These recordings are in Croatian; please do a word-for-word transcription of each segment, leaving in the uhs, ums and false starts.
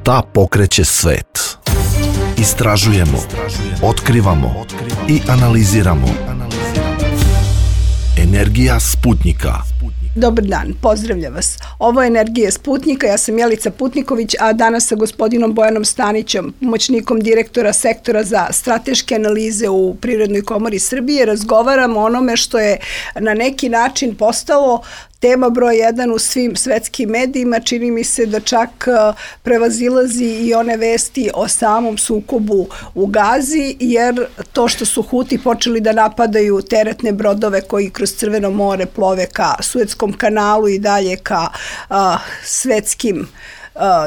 Šta pokreće svet? Istražujemo, otkrivamo i analiziramo. Energija Sputnika. Dobar dan, pozdravljam vas. Ovo je Energija Sputnika, ja sam Jelica Putniković, a danas sa gospodinom Bojanom Stanićem, pomoćnikom direktora sektora za strateške analize u Privrednoj komori Srbije, razgovaramo o onome što je na neki način postalo tema broj jedan u svim svetskim medijima. Čini mi se da čak prevazilazi i one vesti o samom sukobu u Gazi, jer to što su Huti počeli da napadaju teretne brodove koji kroz Crveno more plove ka Suetskom kanalu i dalje ka a, svetskim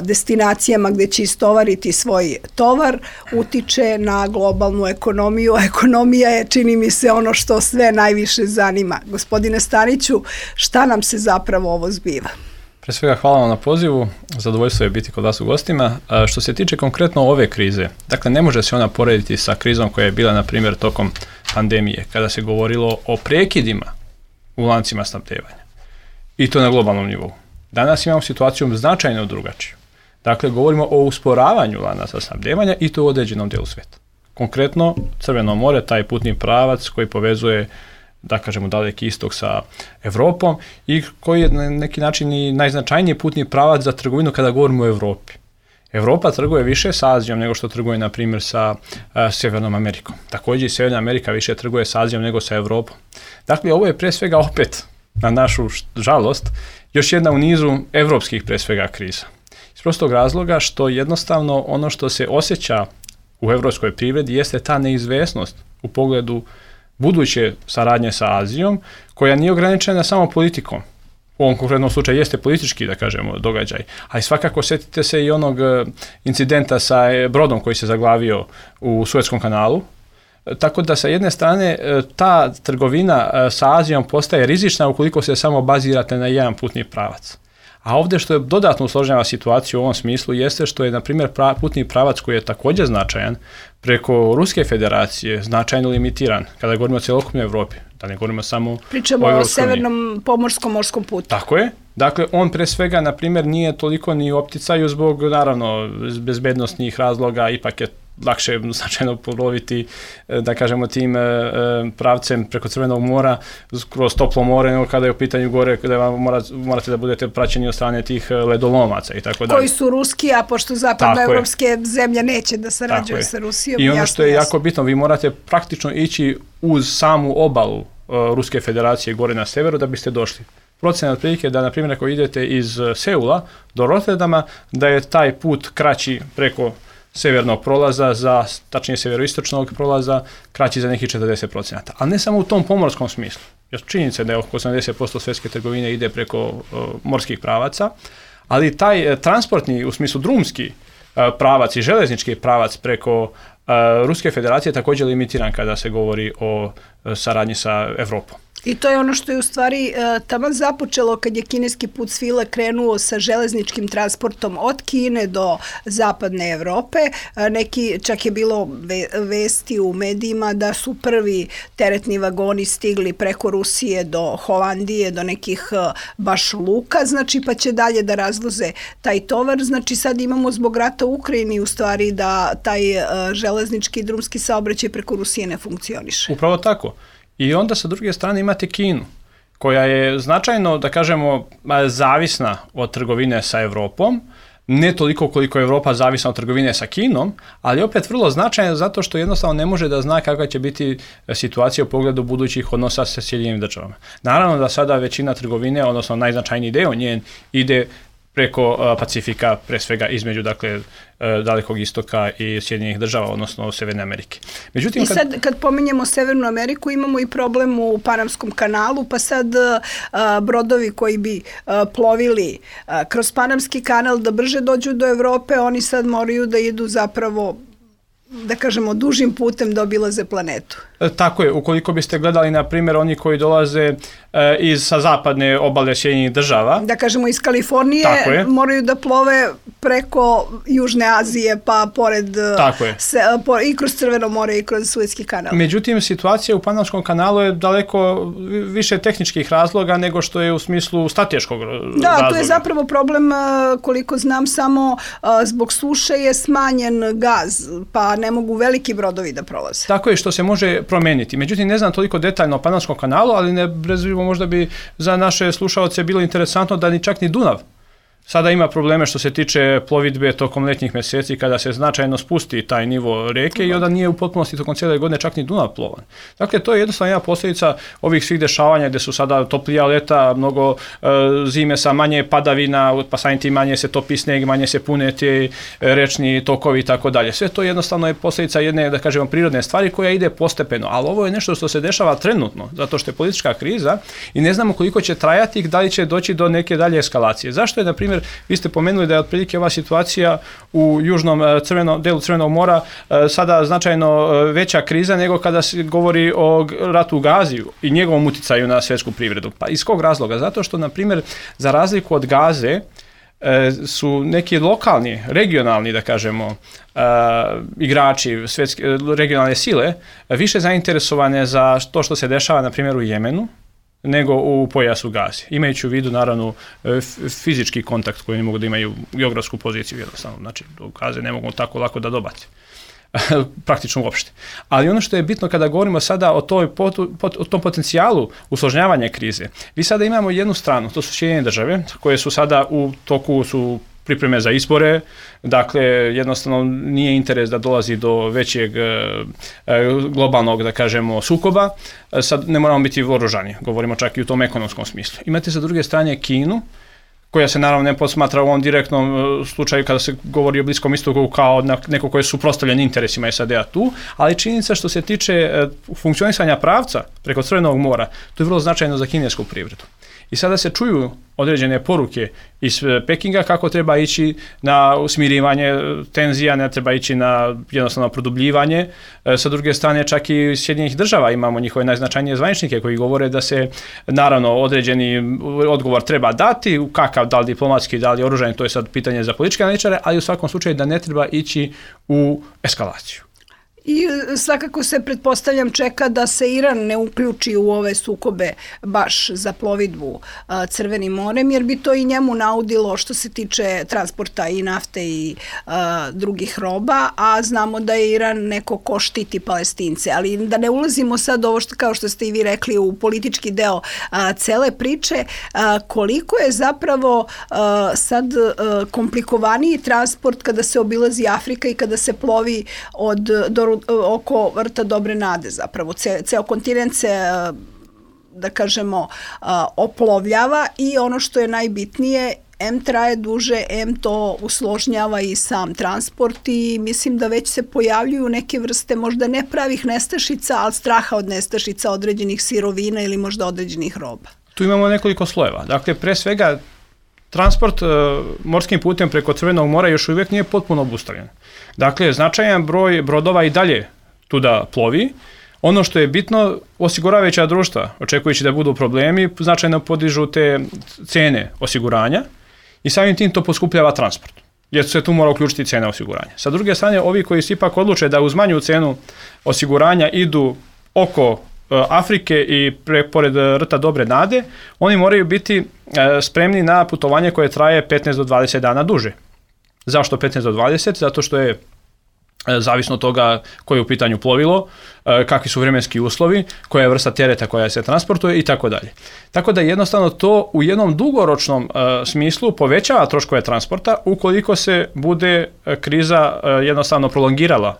destinacijama gde će istovariti svoj tovar, utiče na globalnu ekonomiju. Ekonomija je, čini mi se, ono što sve najviše zanima. Gospodine Staniću, šta nam se zapravo ovo zbiva? Pre svega hvala vam na pozivu, zadovoljstvo je biti kod vas u gostima. Što se tiče konkretno ove krize, dakle ne može se ona porediti sa krizom koja je bila, na primjer, tokom pandemije, kada se govorilo o prekidima u lancima snabdevanja. I to na globalnom nivou. Danas imamo situaciju značajno drugačiju. Dakle, govorimo o usporavanju lanaca snabdevanja i to u određenom dijelu svijeta. Konkretno, Crveno more, taj putni pravac koji povezuje, da kažemo, Daleki istok sa Evropom i koji je na neki način i najznačajniji putni pravac za trgovinu kada govorimo o Evropi. Evropa trguje više sa Azijom nego što trguje, na primjer, sa a, Sjevernom Amerikom. Također i Sjeverna Amerika više trguje sa Azijom nego sa Evropom. Dakle, ovo je pre svega opet, na našu žalost, još jedna u nizu evropskih pre svega kriza. Iz prostog razloga što jednostavno ono što se osjeća u evropskoj privredi jeste ta neizvesnost u pogledu buduće saradnje sa Azijom, koja nije ograničena samo politikom. U ovom konkretnom slučaju jeste politički, da kažemo, događaj. Ali svakako sjetite se i onog incidenta sa brodom koji se zaglavio u Suetskom kanalu. Tako da sa jedne strane ta trgovina sa Azijom postaje rizična ukoliko se samo bazirate na jedan putni pravac. A ovdje što je dodatno usložnjava situaciju u ovom smislu jeste što je, na primjer, putni pravac koji je također značajan preko Ruske federacije značajno limitiran kada govorimo o cjelokupnoj Evropi. Da ne govorimo samo Pričamo o, o Severnom pomorskom morskom putu. Tako je. Dakle, on pre svega, na primjer, nije toliko ni u opticaju zbog, naravno, bezbednosnih razloga, ipak je lakše značajno ploviti, da kažemo, tim pravcem preko Crvenog mora kroz toplo more, nego kada je u pitanju gore, kada vam morate da budete praćeni od strane tih ledolomaca i tako dalje. Koji su ruski, a pošto zapadnoevropske zemlje neće da sarađuju sa Rusijom. I ono jasno, što je jasno. Jako bitno, vi morate praktično ići uz samu obalu uh, Ruske federacije gore na severu da biste došli. Procena otprilike da, na primjer, ako idete iz Seula do Rotterdama, da je taj put kraći preko severnog prolaza, za, tačnije severoistočnog prolaza, kraći za nekih četrdeset procenata. Ali ne samo u tom pomorskom smislu. Jer činjenica je da je oko osamdeset posto svjetske trgovine ide preko uh, morskih pravaca, ali taj uh, transportni, u smislu drumski uh, pravac i železnički pravac preko uh, Ruske federacije također limitiran kada se govori o uh, saradnji sa Evropom. I to je ono što je u stvari uh, taman započelo kad je kineski put svile krenuo sa železničkim transportom od Kine do zapadne Evrope. Uh, neki, čak je bilo ve, vesti u medijima da su prvi teretni vagoni stigli preko Rusije do Holandije, do nekih uh, baš luka, znači pa će dalje da razvoze taj tovar. Znači sad imamo zbog rata u Ukrajini u stvari da taj uh, železnički i drumski saobraćaj preko Rusije ne funkcioniše. Upravo tako. I onda sa druge strane imate Kinu, koja je značajno, da kažemo, zavisna od trgovine sa Evropom, ne toliko koliko je Evropa zavisna od trgovine sa Kinom, ali opet vrlo značajno zato što jednostavno ne može da zna kakva će biti situacija u pogledu budućih odnosa sa Sjedinjenim državama. Naravno da sada većina trgovine, odnosno najznačajniji deo njen, ide preko uh, Pacifika, pre svega između, dakle, uh, Dalekog istoka i Sjedinjenih država, odnosno Severne Amerike. Međutim, I kad... sad, kad pominjemo Severnu Ameriku, imamo i problem u Panamskom kanalu, pa sad uh, brodovi koji bi uh, plovili uh, kroz Panamski kanal da brže dođu do Evrope, oni sad moraju da idu zapravo, da kažemo, dužim putem da obilaze planetu. E, tako je, ukoliko biste gledali, na primjer, oni koji dolaze e, iz sa zapadne obale Sjedinjenih država. Da kažemo, iz Kalifornije moraju da plove preko Južne Azije pa pored se, po, i kroz Crveno more i kroz Suetski kanal. Međutim, situacija u Panamskom kanalu je daleko više tehničkih razloga nego što je u smislu strateškog razloga. Da, to je zapravo problem, koliko znam, samo zbog suše je smanjen gaz, pa ne mogu veliki brodovi da prolaze. Tako je, što se može promeniti. Međutim, ne znam toliko detaljno o Panamskom kanalu, ali ne brezvivo možda bi za naše slušaoce bilo interesantno da ni čak ni Dunav sada ima probleme što se tiče plovidbe tokom letnjih mjeseci kada se značajno spusti taj nivo reke i onda nije u potpunosti tokom cijele godine čak ni Dunav plovan. Dakle, to je jednostavno jedna posljedica ovih svih dešavanja gdje su sada toplija leta, mnogo e, zime sa manje padavina, pa samim tim manje se topi sneg, manje se pune te rečni tokovi i tako dalje. Sve to jednostavno je posljedica jedne, da kažemo, prirodne stvari koja ide postepeno, ali ovo je nešto što se dešava trenutno, zato što je politička kriza i ne znamo koliko će trajati i da li će doći do neke dalje eskalacije. Zašto je, na primjer, vi ste pomenuli da je otprilike ova situacija u južnom crveno, delu Crvenog mora sada značajno veća kriza nego kada se govori o ratu u Gazi i njegovom uticaju na svjetsku privredu. Pa iz kog razloga? Zato što, na primjer, za razliku od Gaze, su neki lokalni, regionalni, da kažemo, igrači, svjetske, regionalne sile, više zainteresovane za to što se dešava, na primjer, u Jemenu, nego u pojasu Gaze. Imajući u vidu, naravno, fizički kontakt koji ne mogu da imaju geografsku poziciju jednostavno. Znači, do Gaze ne mogu tako lako da dobaci. Praktično uopšte. Ali ono što je bitno kada govorimo sada o, toj, o tom potencijalu usložnjavanja krize, vi sada imamo jednu stranu, to su Sjedinjene države, koje su sada u toku su pripreme za izbore, dakle jednostavno nije interes da dolazi do većeg e, globalnog, da kažemo, sukoba, sad ne moramo biti voružani, govorimo čak i u tom ekonomskom smislu. Imate sa druge strane Kinu, koja se naravno ne posmatra u ovom direktnom slučaju kada se govori o Bliskom istoku kao neko koje su suprotstavljeni interesima S A D-a tu, ali činjenica što se tiče funkcionisanja pravca preko Crvenog mora, to je vrlo značajno za kinesku privredu. I sada se čuju određene poruke iz Pekinga kako treba ići na smirivanje tenzija, ne treba ići na jednostavno produbljivanje. Sa druge strane, čak i Sjedinjenih država imamo njihove najznačajnije zvaničnike koji govore da se naravno određeni odgovor treba dati, kakav, da li diplomatski, da li oružani, to je sad pitanje za političke analitičare, ali u svakom slučaju da ne treba ići u eskalaciju. I svakako se, pretpostavljam, čeka da se Iran ne uključi u ove sukobe baš za plovidbu a, Crvenim morem, jer bi to i njemu naudilo što se tiče transporta i nafte i a, drugih roba, a znamo da je Iran neko ko štiti Palestince. Ali da ne ulazimo sad ovo što, kao što ste i vi rekli, u politički deo a, cele priče, a, koliko je zapravo a, sad a, komplikovaniji transport kada se obilazi Afrika i kada se plovi od do oko vrta Dobre nade zapravo. Ce, ceo kontinent se, da kažemo, oplovljava i ono što je najbitnije, em traje duže, em to usložnjava i sam transport i mislim da već se pojavljuju neke vrste možda ne pravih nestašica, ali straha od nestašica određenih sirovina ili možda određenih roba. Tu imamo nekoliko slojeva. Dakle, pre svega, transport uh, morskim putem preko Crvenog mora još uvijek nije potpuno obustavljen. Dakle, značajan broj brodova i dalje tuda plovi. Ono što je bitno, osiguravajuća društva, očekujući da budu problemi, značajno podižu te cene osiguranja i samim tim to poskupljava transport, jer se tu mora uključiti cena osiguranja. Sa druge strane, ovi koji se ipak odluče da uz manju cenu osiguranja idu oko Afrike i pre, pored rta Dobre nade, oni moraju biti e, spremni na putovanje koje traje petnaest do dvadeset dana duže. Zašto petnaest do dvadeset? Zato što je e, zavisno od toga koje je u pitanju plovilo, e, kakvi su vremenski uslovi, koja je vrsta tereta koja se transportuje i tako dalje. Tako da jednostavno to u jednom dugoročnom e, smislu povećava troškove transporta ukoliko se bude e, kriza e, jednostavno prolongirala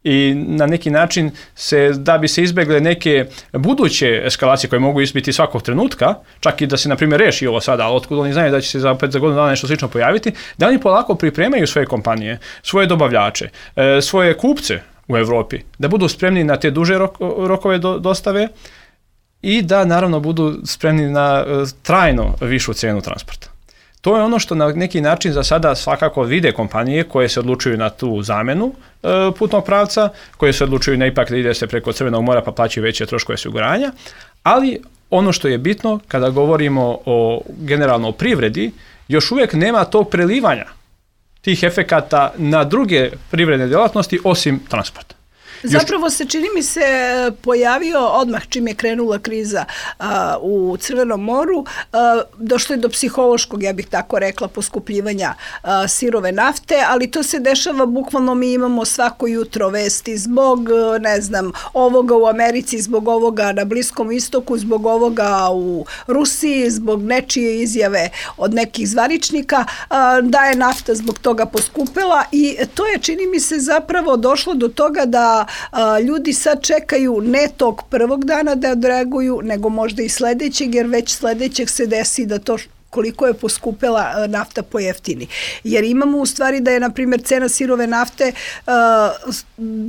i na neki način se, da bi se izbjegle neke buduće eskalacije koje mogu izbiti svakog trenutka, čak i da se, na primjer, reši ovo sada, ali otkud oni znaju da će se za pet za godinu dana nešto slično pojaviti, da oni polako pripremaju svoje kompanije, svoje dobavljače, svoje kupce u Europi, da budu spremni na te duže rokove dostave i da, naravno, budu spremni na trajno višu cijenu transporta. To je ono što na neki način za sada svakako vide kompanije koje se odlučuju na tu zamenu e, putnog pravca, koje se odlučuju na ipak da ide se preko Crvenog mora pa plaćaju veće troškove osiguranja, ali ono što je bitno kada govorimo o generalno o privredi, još uvijek nema tog prelivanja tih efekata na druge privredne djelatnosti osim transporta. Zapravo se, čini mi se, pojavio odmah čim je krenula kriza a, u Crvenom moru, a, došlo je do psihološkog, ja bih tako rekla, poskupljivanja a, sirove nafte, ali to se dešava, bukvalno mi imamo svako jutro vesti zbog, ne znam, ovoga u Americi, zbog ovoga na Bliskom istoku, zbog ovoga u Rusiji, zbog nečije izjave od nekih zvaničnika, a, da je nafta zbog toga poskupela i to je, čini mi se, zapravo došlo do toga da A, ljudi sad čekaju ne tog prvog dana da odreaguju, nego možda i sledećeg, jer već sledećeg se desi da to koliko je poskupela nafta pojeftini. Jer imamo u stvari da je, na primjer, cena sirove nafte uh,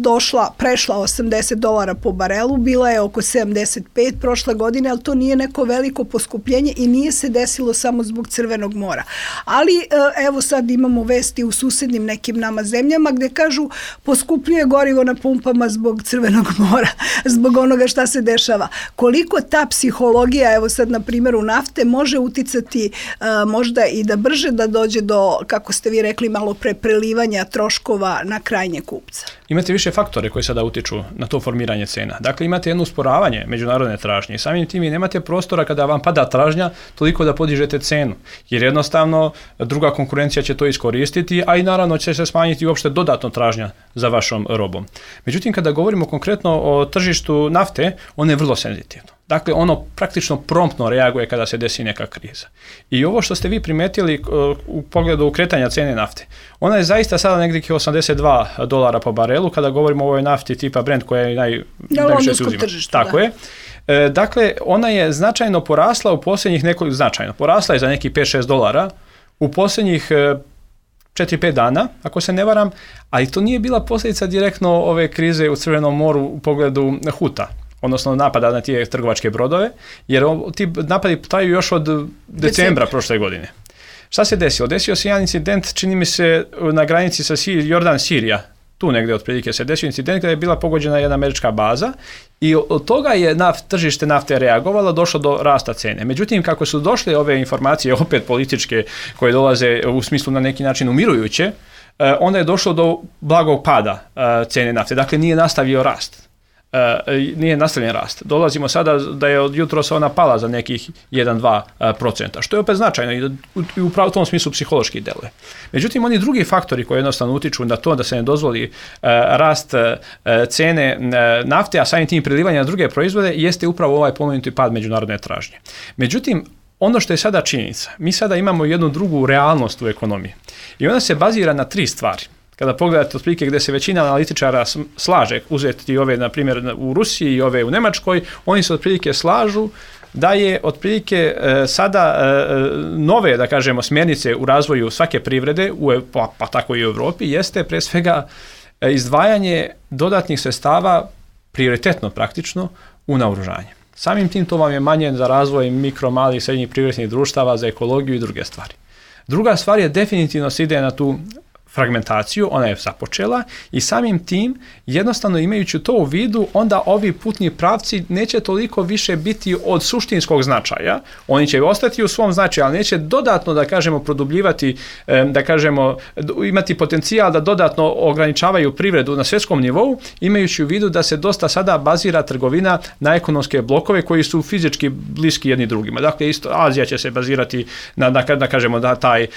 došla, prešla osamdeset dolara po barelu, bila je oko sedamdeset pet prošle godine, ali to nije neko veliko poskupljenje i nije se desilo samo zbog Crvenog mora. Ali uh, evo sad imamo vesti u susednim nekim nama zemljama gde kažu poskupljuje gorivo na pumpama zbog Crvenog mora, zbog onoga šta se dešava. Koliko ta psihologija, evo sad na primjeru nafte, može uticati Uh, možda i da brže da dođe do, kako ste vi rekli, malo pre prelivanja troškova na krajnje kupca? Imate više faktore koji sada utiču na to formiranje cena. Dakle, imate jedno usporavanje međunarodne tražnje i samim tim i nemate prostora kada vam pada tražnja toliko da podižete cenu, jer jednostavno druga konkurencija će to iskoristiti, a i naravno će se smanjiti uopšte dodatno tražnja za vašom robom. Međutim, kada govorimo konkretno o tržištu nafte, ono je vrlo senzitivno. Dakle, ono praktično promptno reaguje kada se desi neka kriza. I ovo što ste vi primetili u pogledu kretanja cene nafte, ona je zaista sada negdje osamdeset dva dolara po barelu kada govorimo o ovoj nafti tipa Brent koja je naj, najviše se uzima. Tržištu, Tako da. je. E, dakle, ona je značajno porasla u posljednjih nekoliko, značajno, porasla je za nekih pet šest dolara u posljednjih četiri pet dana, ako se ne varam, ali to nije bila posljedica direktno ove krize u Crvenom moru u pogledu Huta, odnosno napada na tije trgovačke brodove, jer ti napadi traju još od decembra, decembra prošle godine. Šta se desilo? Desio se jedan incident, čini mi se, na granici sa Jordan-Sirija, tu negdje otprilike se desio incident kada je bila pogođena jedna američka baza i od toga je naft, tržište nafte reagovalo, došlo do rasta cene. Međutim, kako su došle ove informacije, opet političke, koje dolaze u smislu na neki način umirujuće, onda je došlo do blagog pada cene nafte. Dakle, nije nastavio rast. Uh, nije nastavljen rast. Dolazimo sada da je od jutros ona pala za nekih jedan do dva procenta, što je opet značajno i u, u pravom tom smislu psihološki deluje. Međutim, oni drugi faktori koji jednostavno utiču na to da se ne dozvoli uh, rast uh, cene uh, nafte, a samim tim prilivanja na druge proizvode, jeste upravo ovaj pomenuti pad međunarodne tražnje. Međutim, ono što je sada činjenica, mi sada imamo jednu drugu realnost u ekonomiji i ona se bazira na tri stvari. Kada pogledate otprilike gdje se većina analitičara slaže, uzeti ove, na primjer, u Rusiji i ove u Njemačkoj, oni se otprilike slažu da je otprilike e, sada e, nove, da kažemo, smjernice u razvoju svake privrede, u, pa, pa tako i u Europi, jeste pre svega e, izdvajanje dodatnih sredstava, prioritetno praktično, u naoružanje. Samim tim to vam je manje za razvoj mikro, malih, srednjih privrednih društava, za ekologiju i druge stvari. Druga stvar je definitivno se ide na tu fragmentaciju, ona je započela i samim tim, jednostavno imajući to u vidu, onda ovi putni pravci neće toliko više biti od suštinskog značaja, oni će ostati u svom značaju, ali neće dodatno, da kažemo, produbljivati, da kažemo, imati potencijal da dodatno ograničavaju privredu na svjetskom nivou, imajući u vidu da se dosta sada bazira trgovina na ekonomske blokove koji su fizički bliski jedni drugima. Dakle, isto Azija će se bazirati na, da, da kažemo, da taj e,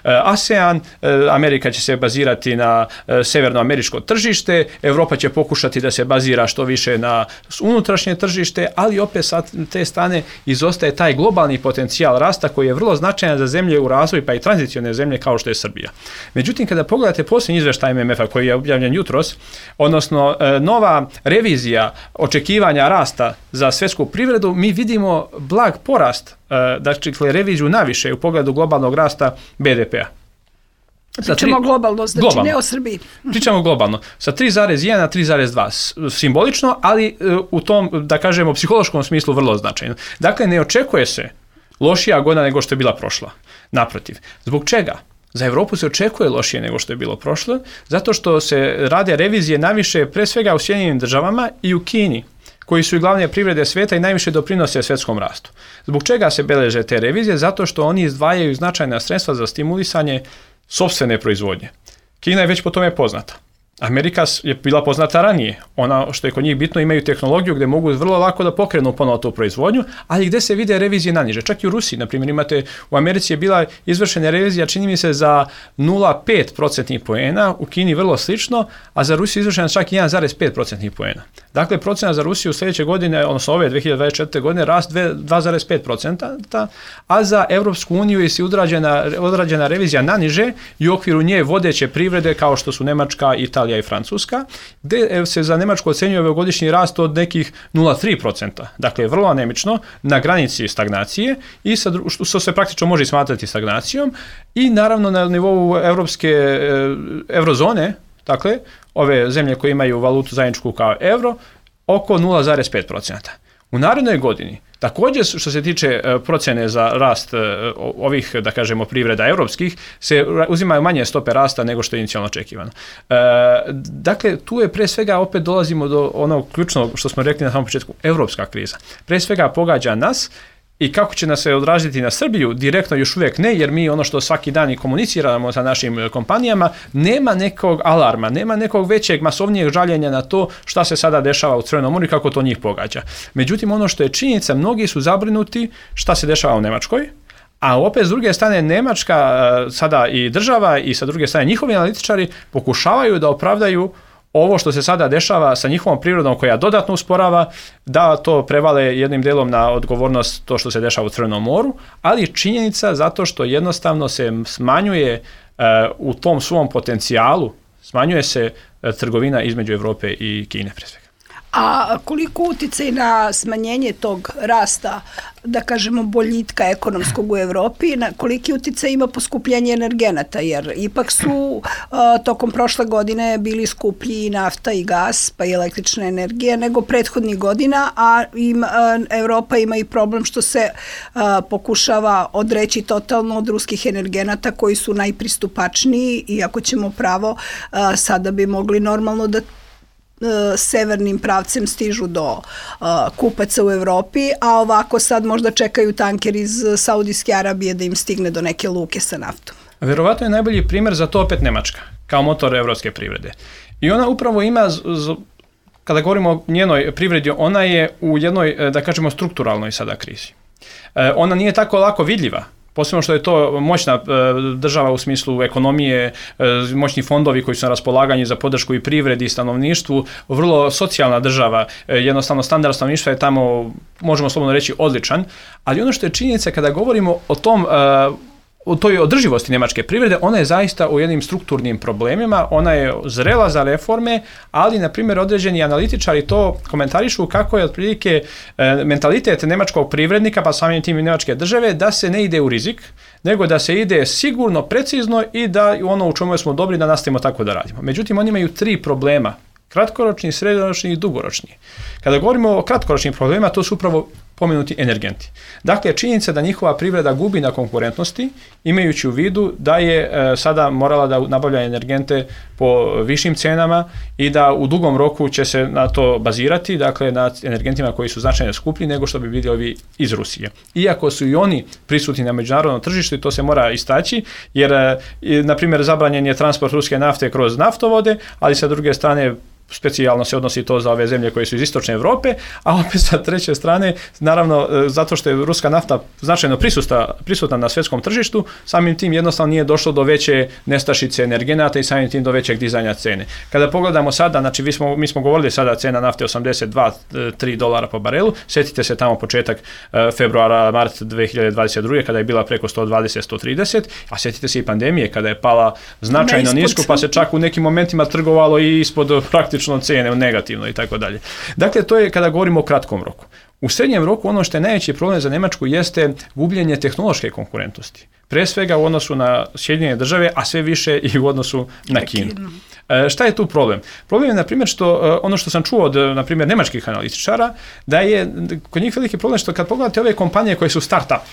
ASEAN, e, Amerika će se bazirati na e, severnoameričko tržište, Europa će pokušati da se bazira što više na unutrašnje tržište, ali opet sa te strane izostaje taj globalni potencijal rasta koji je vrlo značajan za zemlje u razvoju, pa i tranzicione zemlje kao što je Srbija. Međutim, kada pogledate posljednji izvještaj M M F-a koji je objavljen jutros, odnosno e, nova revizija očekivanja rasta za svjetsku privredu, mi vidimo blag porast, e, dakle reviziju naviše u pogledu globalnog rasta B D P-a. Pričamo tri, globalno, znači globalno. Ne o Srbiji. Pričamo globalno. Sa tri zarez jedan na tri zarez dva. Simbolično, ali u tom, da kažemo, psihološkom smislu vrlo značajno. Dakle, ne očekuje se lošija godina nego što je bila prošla. Naprotiv. Zbog čega? Za Europu se očekuje lošije nego što je bilo prošlo, zato što se rade revizije najviše pre svega u Sjedinjenim državama i u Kini, koji su i glavne privrede svijeta i najviše doprinose svjetskom rastu. Zbog čega se beleže te revizije? Zato što oni izdvajaju značajna sredstva za stimulisanje sopstvene proizvodnje. Kina je već po tome poznata. Amerika je bila poznata ranije. Ona, što je kod njih bitno, imaju tehnologiju gdje mogu vrlo lako da pokrenu ponovo tu proizvodnju, ali gdje se vide revizije naniže. Čak i u Rusiji, na primjer, imate, u Americi je bila izvršena revizija, čini mi se, za nula zarez pet procentnih poena, u Kini vrlo slično, a za Rusiju je izvršena čak i jedan zarez pet procentnih poena. Dakle, procena za Rusiju sljedeće godine, odnosno ove dvije hiljade dvadeset četvrte. godine, rast dva zarez pet procenta, a za Europsku uniju je odrađena, odrađena revizija naniže i u okviru nje vodeće privrede kao što su Njemačka, Italija i Francuska, gdje se za Njemačku ocenjuje ovogodišnji rast od nekih nula zarez tri procenta. Dakle, vrlo anemično, na granici stagnacije, i sa, što se praktično može smatrati stagnacijom, i naravno na nivou evropske eurozone, dakle, ove zemlje koje imaju valutu zajedničku kao euro, oko nula zarez pet procenta. U narednoj godini, također što se tiče procjene za rast ovih, da kažemo, privreda europskih, se uzimaju manje stope rasta nego što je inicijalno očekivano. E, dakle, tu je pre svega, opet dolazimo do onog ključnog što smo rekli na samom početku, europska kriza. Pre svega pogađa nas. I kako će nas se odraziti na Srbiju, direktno još uvijek ne, jer mi ono što svaki dan i komuniciramo sa našim kompanijama, nema nekog alarma, nema nekog većeg, masovnijeg žaljenja na to šta se sada dešava u Crvenom moru i kako to njih pogađa. Međutim, ono što je činjenica, mnogi su zabrinuti šta se dešava u Njemačkoj, a opet s druge strane Njemačka, sada i država, i sa druge strane njihovi analitičari pokušavaju da opravdaju ovo što se sada dešava sa njihovom prirodom koja dodatno usporava, da to prevale jednim delom na odgovornost to što se dešava u Crvenom moru, ali činjenica zato što jednostavno se smanjuje uh, u tom svom potencijalu, smanjuje se uh, trgovina između Europe i Kine pre svega. A koliko utjecaj na smanjenje tog rasta, da kažemo, boljitka ekonomskog u Europi, na koliki utjecaj ima poskupljenje energenata, jer ipak su uh, tokom prošle godine bili skuplji i nafta i gas, pa i električna energija nego prethodnih godina, a im, uh, Europa ima i problem što se uh, pokušava odreći totalno od ruskih energenata koji su najpristupačniji, i ako ćemo pravo, uh, sada bi mogli normalno da severnim pravcem stižu do uh, kupaca u Europi, a ovako sad možda čekaju tanker iz Saudijske Arabije da im stigne do neke luke sa naftom. Verovatno je najbolji primjer za to opet Njemačka, kao motor evropske privrede. I ona upravo ima, kada govorimo o njenoj privredi, ona je u jednoj, da kažemo, strukturalnoj sada krizi. Ona nije tako lako vidljiva, posebno što je to moćna država u smislu ekonomije, moćni fondovi koji su na raspolaganju za podršku i privredi i stanovništvu, vrlo socijalna država, jednostavno standard stanovništva je tamo, možemo slobodno reći, odličan, ali ono što je činjenica kada govorimo o tom, o toj održivosti njemačke privrede, ona je zaista u jednim strukturnim problemima, ona je zrela za reforme, ali, na primjer, određeni analitičari to komentarišu kako je otprilike e, mentalitet njemačkog privrednika, pa samim tim i njemačke države, da se ne ide u rizik, nego da se ide sigurno, precizno, i da ono u čemu smo dobri da nastavimo tako da radimo. Međutim, oni imaju tri problema: kratkoročni, srednjoročni i dugoročni. Kada govorimo o kratkoročnim problemima, to su upravo pomenuti energenti. Dakle, činjenica da njihova privreda gubi na konkurentnosti, imajući u vidu da je e, sada morala da nabavlja energente po višim cenama i da u dugom roku će se na to bazirati, dakle na energentima koji su značajno skuplji nego što bi bili ovi iz Rusije. Iako su i oni prisutni na međunarodnom tržištu, i to se mora istaći, jer, e, na primjer, zabranjen je transport ruske nafte kroz naftovode, ali sa druge strane specijalno se odnosi to za ove zemlje koje su iz istočne Europe, a opet sa treće strane, naravno, zato što je ruska nafta značajno prisutna, prisutna na svjetskom tržištu, samim tim jednostavno nije došlo do veće nestašice energenata i samim tim do većeg dizanja cene. Kada pogledamo sada, znači mi smo, mi smo govorili sada cena nafte osamdeset dva do tri dolara po barelu, sjetite se tamo početak februara, mart dvije hiljade dvadeset druge kada je bila preko sto dvadeset do sto trideset, a sjetite se i pandemije kada je pala značajno nisko, pa se čak u nekim momentima trgovalo i ispod praktično cene, negativno i tako dalje. Dakle, to je kada govorimo o kratkom roku. U srednjem roku ono što je najveći problem za Njemačku jeste gubljenje tehnološke konkurentnosti. Pre svega u odnosu na Sjedinjene države, a sve više i u odnosu na Kinu. E, šta je tu problem? Problem je, na primjer, što ono što sam čuo od, na primjer, njemačkih analitičara, da je kod njih veliki problem što kad pogledate ove kompanije koje su start-up,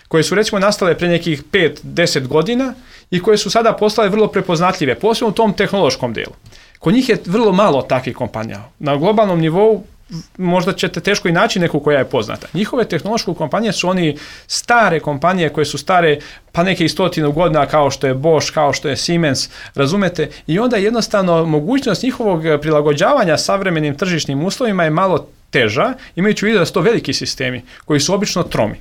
koje su recimo nastale pre nekih pet do deset godina i koje su sada postale vrlo prepoznatljive, posebno u tom tehnološkom delu. Kod njih je vrlo malo takvih kompanija. Na globalnom nivou možda ćete teško i naći neku koja je poznata. Njihove tehnološke kompanije su oni stare kompanije koje su stare pa neke i stotinu godina, kao što je Bosch, kao što je Siemens, razumete, i onda jednostavno mogućnost njihovog prilagođavanja savremenim tržišnim uslovima je malo teža, imajući u vidu da su to veliki sistemi koji su obično tromi.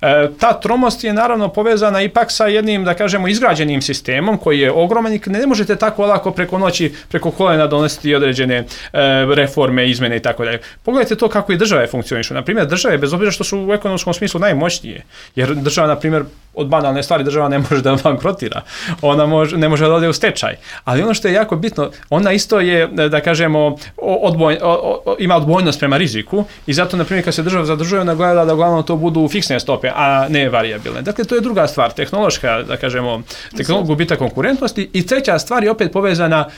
E, ta tromost je naravno povezana ipak sa jednim, da kažemo, izgrađenim sistemom koji je ogroman i ne možete tako lako preko noći, preko kolena donositi određene e, reforme, izmene i tako dalje. Pogledajte to kako i države funkcionišu. Na primjer, države, bez obzira što su u ekonomskom smislu najmoćnije, jer država, na primjer, od banalne stvari država ne može da bankrotira, ona može, ne može da ode u stečaj. Ali ono što je jako bitno, ona isto je, da kažemo, odboj, o, o, ima odbojnost prema riziku i zato, na primjer, kad se država zadužuje, ona gleda da uglavnom to budu fiksne stope, a ne varijabilne. Dakle, to je druga stvar, tehnološka, da kažemo, tehnolog gubitak konkurentnosti, i treća stvar je opet povezana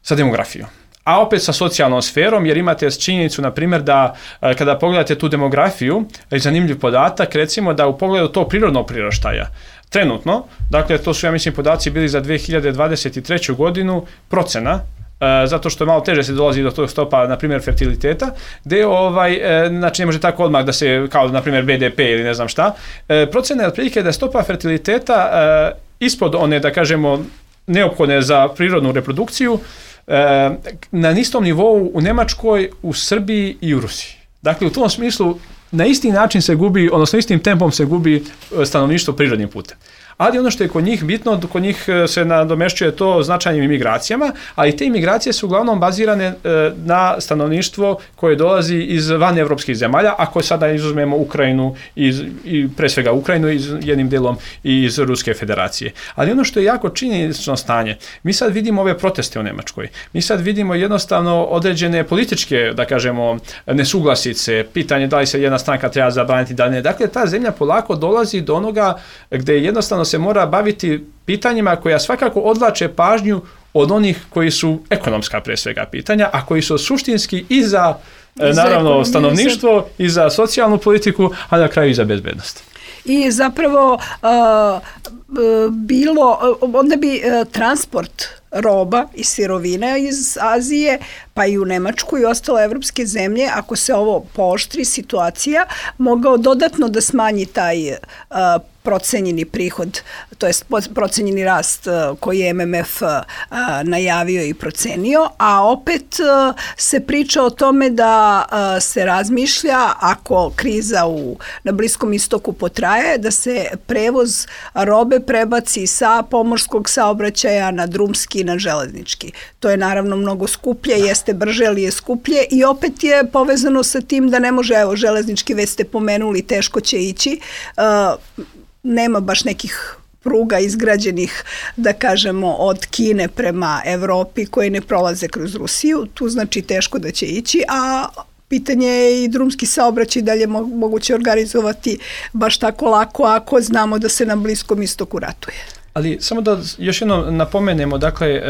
sa demografijom. A opet sa socijalnom sferom, jer imate činjenicu, na primjer, da kada pogledate tu demografiju, je zanimljiv podatak, recimo da u pogledu tog prirodnog priraštaja, trenutno, dakle, to su, ja mislim, podaci bili za dve hiljade dvadeset treću godinu, procena, E, zato što malo teže se dolazi do tog stopa, na primjer, fertiliteta, gdje ovaj, e, znači ne može tako odmah da se, kao na primjer B D P ili ne znam šta, e, procena je otprilike da je stopa fertiliteta e, ispod one, da kažemo, neophodne za prirodnu reprodukciju, e, na istom nivou u Njemačkoj, u Srbiji i u Rusiji. Dakle, u tom smislu na isti način se gubi, odnosno istim tempom se gubi stanovništvo prirodnim putem. Ali ono što je kod njih bitno, kod njih se nadomešćuje to značajnim imigracijama, ali te imigracije su uglavnom bazirane na stanovništvo koje dolazi iz van evropskih zemalja, ako sada izuzmemo Ukrajinu, iz, i pre svega Ukrajinu, iz, jednim delom i iz Ruske federacije. Ali ono što je jako činjenično stanje, mi sad vidimo ove proteste u Njemačkoj, mi sad vidimo jednostavno određene političke, da kažemo, nesuglasice, pitanje da li se jedna stranka treba zabraniti, da ne. Dakle, ta zemlja polako dolazi do onoga gdje jednostavno se mora baviti pitanjima koja svakako odvlače pažnju od onih koji su ekonomska pre svega pitanja, a koji su suštinski i za, I za naravno, stanovništvo, i za socijalnu politiku, a na kraju i za bezbednost. I zapravo uh, bilo, onda bi uh, transport roba i sirovine iz Azije, pa i u Nemačku i ostale evropske zemlje, ako se ovo pooštri situacija, mogao dodatno da smanji taj uh, procenjeni prihod, to jest procenjeni rast koji je M M F najavio i procenio, a opet se priča o tome da se razmišlja, ako kriza u, na Bliskom istoku potraje, da se prevoz robe prebaci sa pomorskog saobraćaja na drumski i na železnički. To je naravno mnogo skuplje, jeste brže, ali je skuplje i opet je povezano sa tim da ne može, evo, železnički već ste pomenuli, teško će ići, nema baš nekih pruga izgrađenih, da kažemo, od Kine prema Evropi koje ne prolaze kroz Rusiju, tu znači teško da će ići, a pitanje je i drumski saobraćaj dalje moguće organizovati baš tako lako ako znamo da se na Bliskom istoku ratuje. Ali samo da još jedno napomenemo, dakle,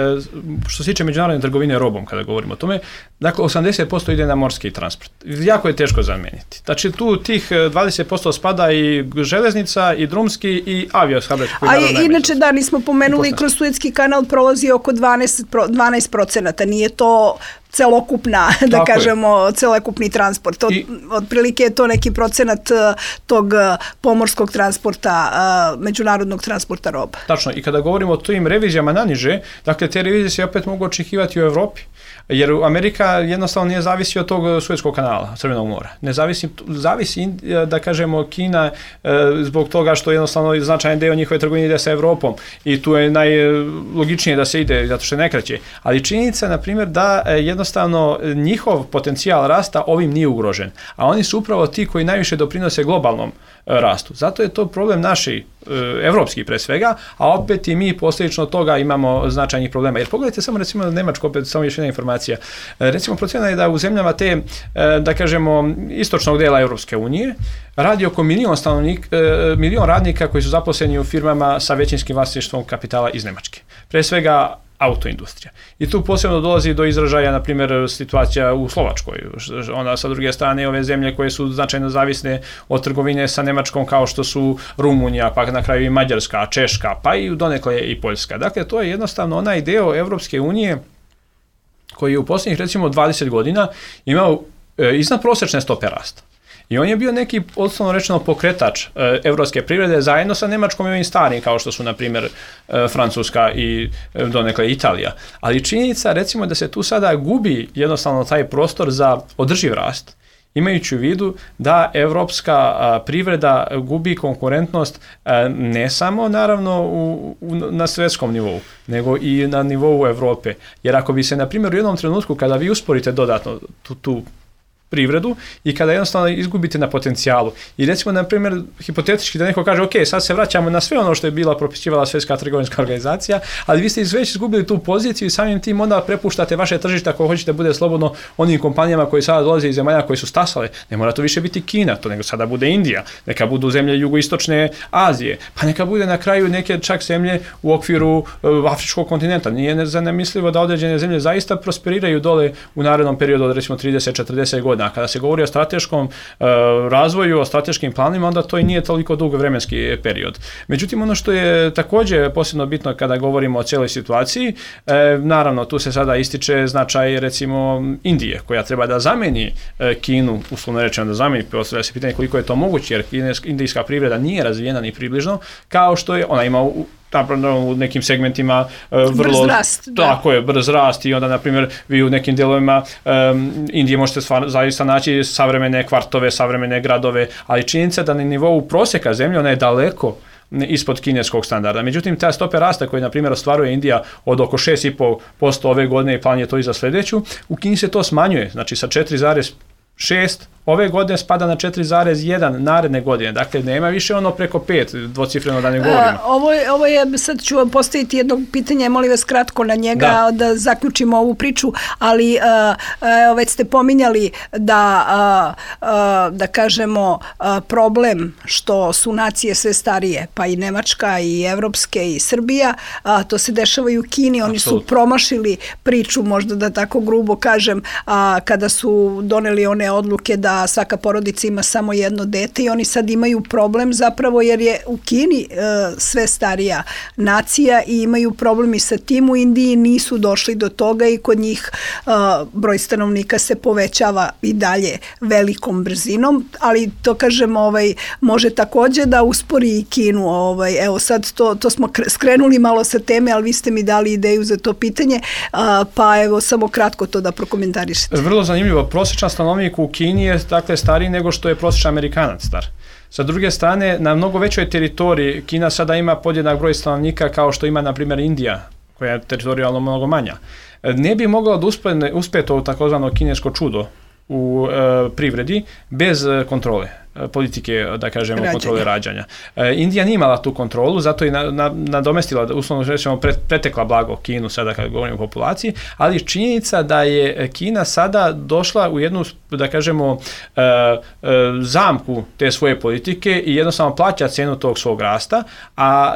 što se tiče međunarodne trgovine robom, kada govorimo o tome, dakle, osamdeset posto ide na morski transport. Jako je teško zamijeniti. Znači, tu tih dvadeset posto spada i železnica, i drumski, i aviosaobraćaj. A i, inače, da, nismo pomenuli, kroz Suetski kanal prolazi oko dvanaest procenata. Nije to celokupna, da Tako kažemo, je. celokupni transport. Od, I, otprilike je to neki procenat tog pomorskog transporta, međunarodnog transporta roba. Tačno. I kada govorimo o tim revizijama naniže, dakle, te revizije se opet mogu očekivati u Evropi. Jer Amerika jednostavno nije zavisi od tog Suetskog kanala, Crvenog mora. Ne zavisi, zavisi, da kažemo, Kina zbog toga što jednostavno značajan deo njihove trgovine ide sa Evropom i tu je najlogičnije da se ide, zato što je najkraće. Ali činjenica, na primjer, da jednostavno njihov potencijal rasta ovim nije ugrožen. A oni su upravo ti koji najviše doprinose globalnom rastu. Zato je to problem naši, evropski pre svega, a opet i mi posljedično toga imamo značajnih problema. Jer pogledajte samo, recimo, Nemačko, opet samo još jedna informacija. Recimo, procena je da u zemljama te, da kažemo, istočnog dela Europske unije radi oko milion, stanovnik, milion radnika koji su zaposleni u firmama sa većinskim vlasništvom kapitala iz Nemačke. Pre svega autoindustrija. I tu posebno dolazi do izražaja, na primjer, situacija u Slovačkoj. Onda, sa druge strane, ove zemlje koje su značajno zavisne od trgovine sa Nemačkom, kao što su Rumunija, pa na kraju i Mađarska, Češka, pa i donekle i Poljska. Dakle, to je jednostavno onaj deo Evropske unije koji je u posljednjih, recimo, dvadeset godina imao iznad prosječne stope rasta. I on je bio neki, osnovno rečeno, pokretač e, evropske privrede zajedno sa Nemačkom i ovim starim, kao što su, na primjer, e, Francuska i e, donekle Italija. Ali činjenica, recimo, da se tu sada gubi jednostavno taj prostor za održiv rast, imajući u vidu da evropska a, privreda gubi konkurentnost a, ne samo, naravno, u, u, na svjetskom nivou, nego i na nivou Evrope. Jer ako bi se, na primjer, u jednom trenutku, kada vi usporite dodatno tu, tu privredu i kada jednostavno izgubite na potencijalu. I recimo, na primjer, hipotetički da neko kaže, ok, sad se vraćamo na sve ono što je bila propisivala Svjetska trgovinska organizacija, ali vi ste već izgubili tu poziciju i samim tim onda prepuštate vaše tržište ako hoćete bude slobodno onim kompanijama koji sada dolaze iz zemalja koji su stasale. Ne mora to više biti Kina, to nego sada bude Indija, neka budu zemlje jugoistočne Azije, pa neka bude na kraju neke čak zemlje u okviru uh, afričkog kontinenta. Nije zanemislivo da određene zemlje zaista prosperiraju dole u narednom periodu od recimo trideset do četrdeset godina. A kada se govori o strateškom uh, razvoju, o strateškim planima, onda to i nije toliko dug vremenski period. Međutim, ono što je također posebno bitno kada govorimo o cijeloj situaciji, uh, naravno, tu se sada ističe značaj, recimo, Indije, koja treba da zameni uh, Kinu, uslovno rečeno da zameni, postavlja se pitanje koliko je to moguće, jer indijska privreda nije razvijena ni približno, kao što je ona ima u u nekim segmentima uh, vrlo... Brz rast. Tako je, brz rast i onda, na primjer, vi u nekim dijelovima um, Indije možete stvar, zaista naći savremene kvartove, savremene gradove, ali činjenica da na nivou prosjeka zemlje ona je daleko ispod kineskog standarda. Međutim, ta stope rasta koje, na primjer, ostvaruje Indija od oko šest zarez pet posto ove godine i plan je to i za sljedeću, u Kini se to smanjuje, znači sa četiri zarez šest ove godine spada na četiri zarez jedan naredne godine. Dakle, nema više ono preko pet, dvocifreno da ne govorimo. A, ovo, je, ovo je, sad ću vam postaviti jedno pitanje, molim vas kratko na njega, da, da zaključimo ovu priču, ali a, a, već ste pominjali da, a, a, da kažemo, a, problem što su nacije sve starije, pa i Nemačka, i Evropske, i Srbija, a, to se dešava i u Kini. Oni Absolutno. Su promašili priču, možda da tako grubo kažem, a, kada su doneli one odluke da svaka porodica ima samo jedno dete i oni sad imaju problem zapravo jer je u Kini e, sve starija nacija i imaju problem i sa tim. U Indiji nisu došli do toga i kod njih e, broj stanovnika se povećava i dalje velikom brzinom, ali to kažem, ovaj, može također da uspori i Kinu. Ovaj, evo sad to, to smo skrenuli malo sa teme, ali vi ste mi dali ideju za to pitanje, a, pa evo samo kratko to da prokomentarišete. Vrlo zanimljivo, prosječan stanovnik u Kini je dakle stariji nego što je prosječan Amerikanac star. Sa druge strane, na mnogo većoj teritoriji Kina sada ima podjednak broj stanovnika kao što ima, na primjer, Indija, koja je teritorijalno mnogo manja. Ne bi mogla da uspjeti u takozvano kinesko čudo u e, privredi bez kontrole politike, da kažemo, rađanja. Kontrole rađanja. E, Indija nije imala tu kontrolu, zato je na, na, nadomestila, uslovno rečemo, pre, pretekla blago Kinu sada kad govorimo o populaciji, ali činjenica da je Kina sada došla u jednu, da kažemo, e, e, zamku te svoje politike i jednostavno plaća cijenu tog svog rasta, a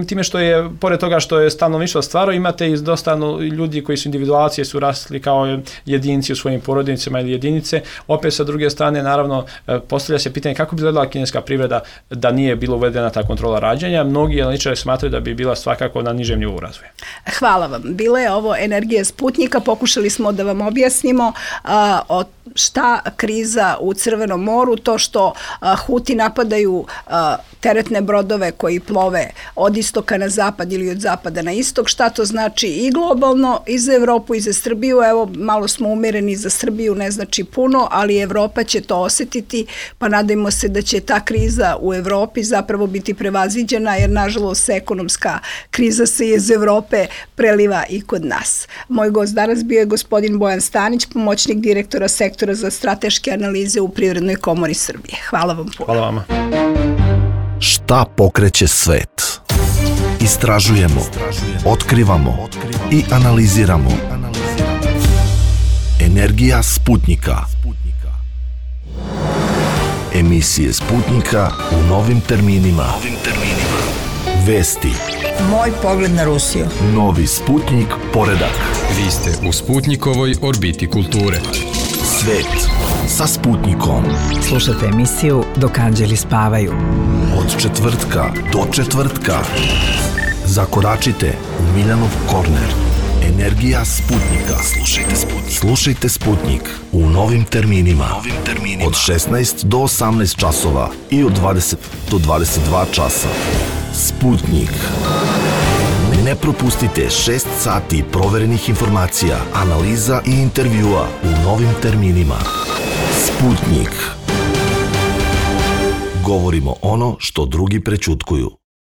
time što je, pored toga što je stanovništvo stvarno, imate i dosta ljudi koji su individualci, su rasli kao jedinci u svojim porodicama ili jedinice. Opet sa druge strane, naravno, postavlja se pitanje kako bi izgledala kineska privreda da nije bilo uvedena ta kontrola rađanja. Mnogi analitičari smatraju da bi bila svakako na nižem nivou razvoja. Hvala vam. Bila je ovo Energija Sputnika. Pokušali smo da vam objasnimo a, o šta kriza u Crvenom moru, to što a, Huti napadaju a, teretne brodove koji plove od istoka na zapad ili od zapada na istok, šta to znači i globalno, i za Evropu, i za Srbiju. Evo, malo smo umereni za Srbiju, ne znači puno, ali Evropa će to osjetiti, pa nadajmo se da će ta kriza u Evropi zapravo biti prevaziđena, jer nažalost ekonomska kriza se iz Evrope preliva i kod nas. Moj gost danas bio je gospodin Bojan Stanić, pomoćnik direktora sektora za strateške analize u Privrednoj komori Srbije. Hvala vam puno. Hvala vama. Šta pokreće svet? Istražujemo, otkrivamo i analiziramo. Energija Sputnika. Emisije Sputnika u novim terminima. Vesti. Moj pogled na Rusiju. Novi Sputnik poredak. Vi ste u Sputnikovoj orbiti kulture. Svet sa Sputnikom. Slušajte emisiju Dok anđeli spavaju. Od četvrtka do četvrtka. Zakoračite u Miljanov korner. Energija Sputnika. Slušajte Sputnik. Slušajte Sputnik u novim terminima. Novim terminima. Od šesnaest do osamnaest časova i od dvadeset do dvadeset dva časa. Sputnik. Ne propustite šest sati proverenih informacija, analiza i intervjua u novim terminima. Sputnik. Govorimo ono što drugi prećutkuju.